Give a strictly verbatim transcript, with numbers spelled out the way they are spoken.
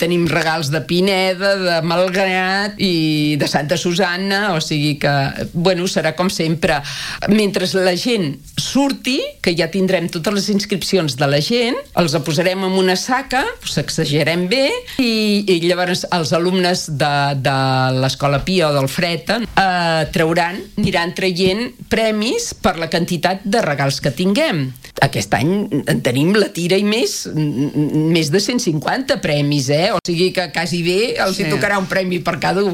Tenim regals de Pineda, de Malgrat i de Santa Susanna, o sigui que, bueno, serà com sempre. Mentre la gent surti, que ja tindrem totes les inscripcions de la gent, els posarem en una saca, sacsejarem bé, i, i llavors els alumnes de, de l'Escola Pia o del Freta eh, trauran, aniran traient premis per la quantitat de regals que tinguem. Aquest any en tenim la tira i més, més de cent cinquanta premis, eh? O sigui que quasi bé els sí. hi tocarà un premi per cada un.